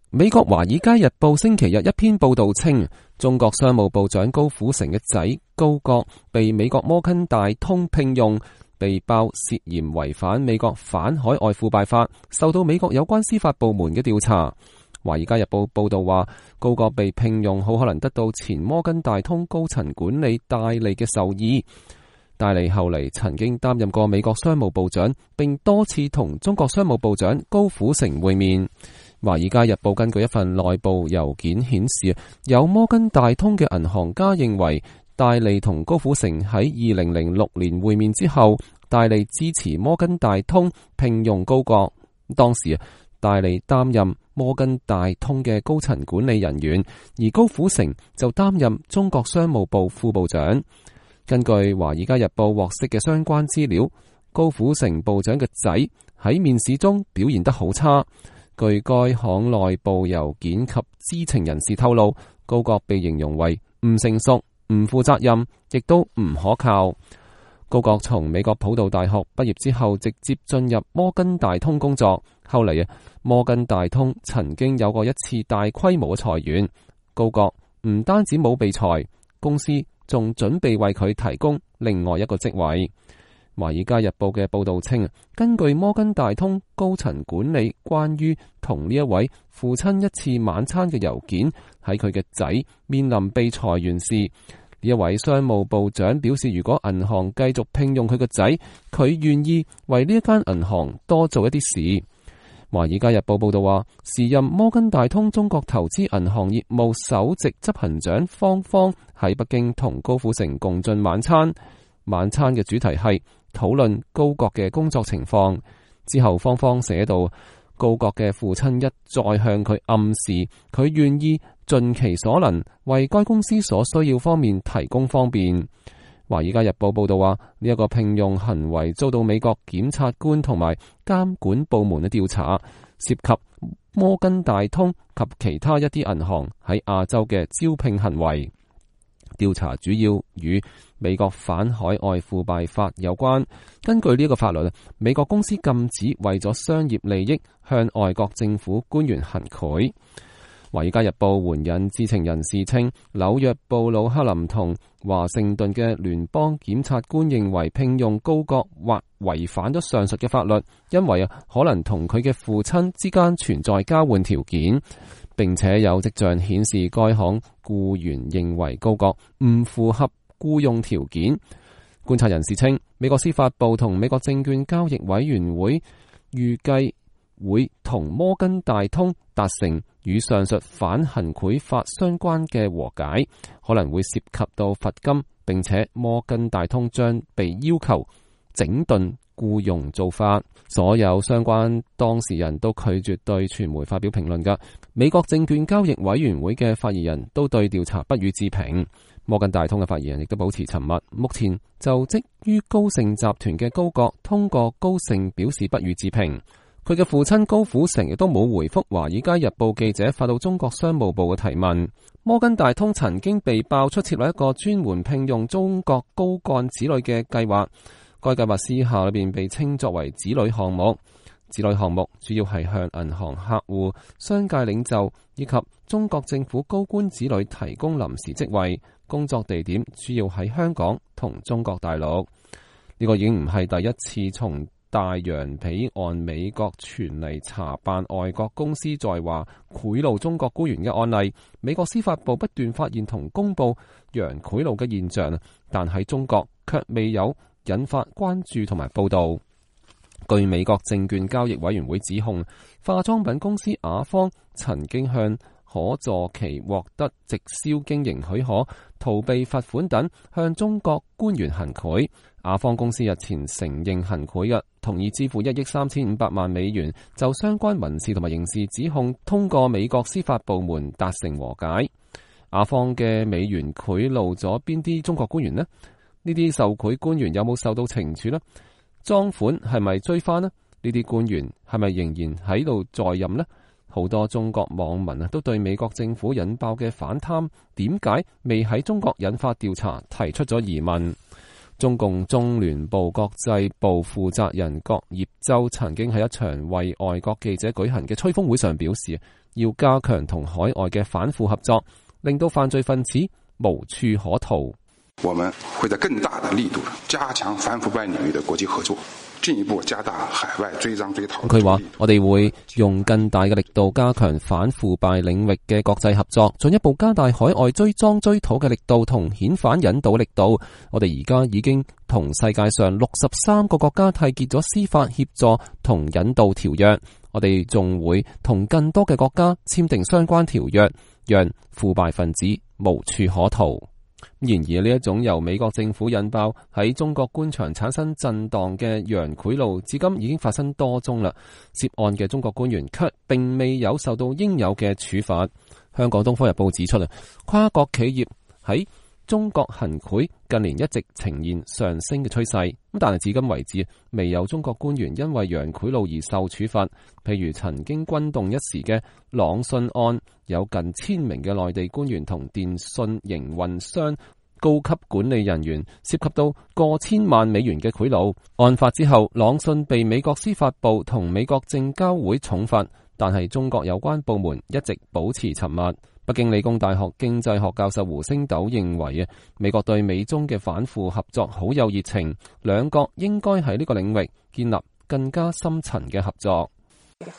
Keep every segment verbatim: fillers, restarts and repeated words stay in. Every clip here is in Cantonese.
美國華爾街日報星期日一篇報道稱，中國商務部長高虎城嘅仔高國被美國摩根大通聘用，被曝涉嫌違反美國反海外腐敗法，受到美國有關司法部門嘅調查。華爾街日報報道話，高國被聘用好可能得到前摩根大通高層管理戴利嘅授意。戴利後嚟曾經擔任過美國商務部長，並多次同中國商務部長高虎城會面。華爾街日報根據一份內部郵件顯示，有摩根大通嘅銀行家認為，戴利同高虎城喺二零零六年會面之後，戴利支持摩根大通聘用高國。當時戴利擔任摩根大通嘅高層管理人員，而高虎城就擔任中國商務部副部長。根據華爾街日報獲悉嘅相關資料，高虎城部長嘅仔喺面試中表現得好差。據該行內部郵件及知情人士透露，高國被形容為唔成熟、唔負責任，亦都唔可靠。高國從美國普渡大學畢業之後，直接進入摩根大通工作。後嚟啊，摩根大通曾經有過一次大規模嘅裁員，高國唔單止冇被裁，公司仲準備為佢提供另外一個職位。華爾街日報嘅報道稱，根據摩根大通高層管理關於同呢一位父親一次晚餐嘅郵件，喺佢嘅仔面臨被裁員時，呢一位商務部長表示，如果銀行繼續聘用佢個仔，佢願意為呢一間銀行多做一啲事。華爾街日報報道話，時任摩根大通中國投資銀行業務首席執行長方方喺北京同高虎城共進晚餐，晚餐嘅主題係討論高國嘅工作情況。之後方方寫到，高國嘅父親一再向佢暗示，佢願意盡其所能為該公司所需要方面提供方便。華爾街日報報道話，呢一個聘用行為遭到美國檢察官同埋監管部門嘅調查，涉及摩根大通及其他一啲銀行喺亞洲嘅招聘行為。調查主要與美國反海外腐敗法有關。根據呢個法律，美國公司禁止為咗商業利益向外國政府官員行賄。華爾街日報援引知情人士稱，紐約布魯克林同華盛頓嘅聯邦檢察官認為聘用高國或違反咗上述嘅法律，因為啊可能同佢嘅父親之間存在交換條件，並且有跡象顯示該行僱員認為高國唔符合僱用條件。觀察人士稱，美國司法部同美國證券交易委員會預計會同摩根大通達成與上述反行賄法相關嘅和解，可能會涉及到罰金，並且摩根大通將被要求整頓僱傭做法。所有相關當事人都拒絕對傳媒發表評論㗎。美國證券交易委員會嘅發言人都對調查不予置評。摩根大通嘅發言人亦都保持沉默。目前就職於高盛集團嘅高國通過高盛表示不予置評。佢嘅父親高虎城亦都冇回覆華爾街日報記者發到中國商務部嘅提問。摩根大通曾經被爆出設立一個專門聘用中國高幹子女嘅計劃，該計劃私下裏邊被稱作為子女項目。子女項目主要係向銀行客戶、商界領袖以及中國政府高官子女提供臨時職位，工作地點主要喺香港同中國大陸。呢個已經唔係第一次從大洋彼岸美國傳嚟查辦外國公司在華賄賂中國官員嘅案例。美國司法部不斷發現同公布洋賄賂嘅現象，但喺中國卻未有引發關注同埋報道。據美國證券交易委員會指控，化妝品公司雅芳曾經向可助其獲得直銷經營許可、逃避罰款等，向中國官員行賄。雅芳公司日前承認行賄嘅，同意支付一億三千五百萬美元，就相關民事同埋刑事指控通過美國司法部門達成和解。雅芳嘅美元賄賂咗邊啲中國官員呢？呢啲受賄官員有冇受到懲處呢？贓款係咪追翻呢？呢啲官員係咪仍然喺度在任呢？好多中國網民啊，都對美國政府引爆嘅反貪點解未喺中國引發調查提出咗疑問。中共中聯部國際部負責人郭業洲曾經喺一場為外國記者舉行嘅吹風會上表示，要加強同海外嘅反腐合作，令到犯罪分子無處可逃。我們會在更大的力度加強反腐敗領域的國際合作，進一步加大海外追贓追逃。佢話：我哋會用更大嘅力度加強反腐敗領域嘅國際合作，進一步加大海外追贓追討嘅力度同遣返引渡力度。我哋而家已經同世界上六十三個國家締結咗司法協助同引渡條約，我哋仲會同更多嘅國家簽訂相關條約，讓腐敗分子無處可逃。然而呢一種由美國政府引爆喺中國官場產生震盪嘅洋賄賂，至今已經發生多宗啦。涉案嘅中國官員卻並未有受到應有嘅處罰。香港《東方日報》指出啦，跨國企業喺中國行賄近年一直呈現上升嘅趨勢，咁但係至今為止未有中國官員因為洋賄賂而受處罰。譬如曾經轟動一時嘅朗訊案，有近千名嘅內地官員同電信營運商高級管理人員涉及到過千萬美元嘅賄賂。案發之後，朗訊被美國司法部同美國證交會重罰，但係中國有關部門一直保持沉默。北京理工大學經濟學教授胡星斗認為啊，美國對美中嘅反腐合作好有熱情，兩國應該喺呢個領域建立更加深層嘅合作。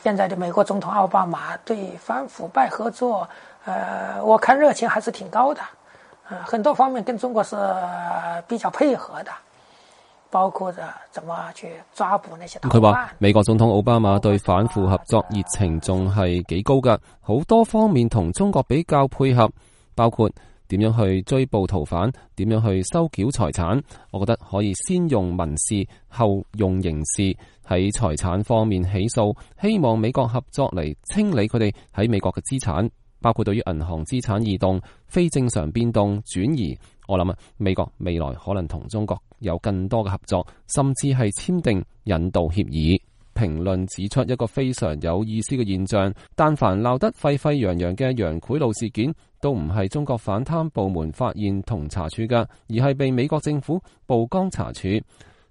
現在的美國總統奧巴馬對反腐敗合作，呃，我看熱情還是挺高的，呃，很多方面跟中國是比較配合的。包括着怎麼去抓捕那些逃犯。佢話美國總統奧巴馬對反腐合作熱情仲係幾高噶，好多方面同中國比較配合，包括點樣去追捕逃犯，點樣去收繳財產。我覺得可以先用民事，後用刑事，喺財產方面起訴，希望美國合作嚟清理佢哋喺美國嘅資產，包括對於銀行資產異動、非正常變動、轉移。我諗啊，美國未來可能同中國有更多嘅合作，甚至係簽訂引渡協議。評論指出一個非常有意思嘅現象，但凡鬧得沸沸揚揚嘅洋賄賂事件，都唔係中國反貪部門發現同查處㗎，而係被美國政府曝光查處。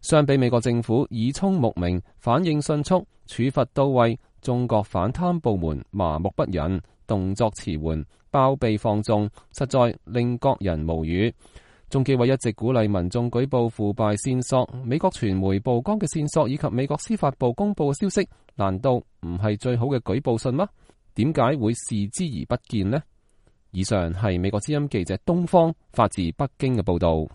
相比美國政府耳聰目明、反應迅速、處罰到位，中國反貪部門麻木不仁、動作遲緩、包庇放縱，實在令國人無語。中紀委一直鼓勵民眾舉報腐敗線索，美國傳媒曝光嘅線索以及美國司法部公布嘅消息，難道唔係最好嘅舉報信嗎？點解會視之而不見呢？以上係美國之音記者東方發自北京嘅報道。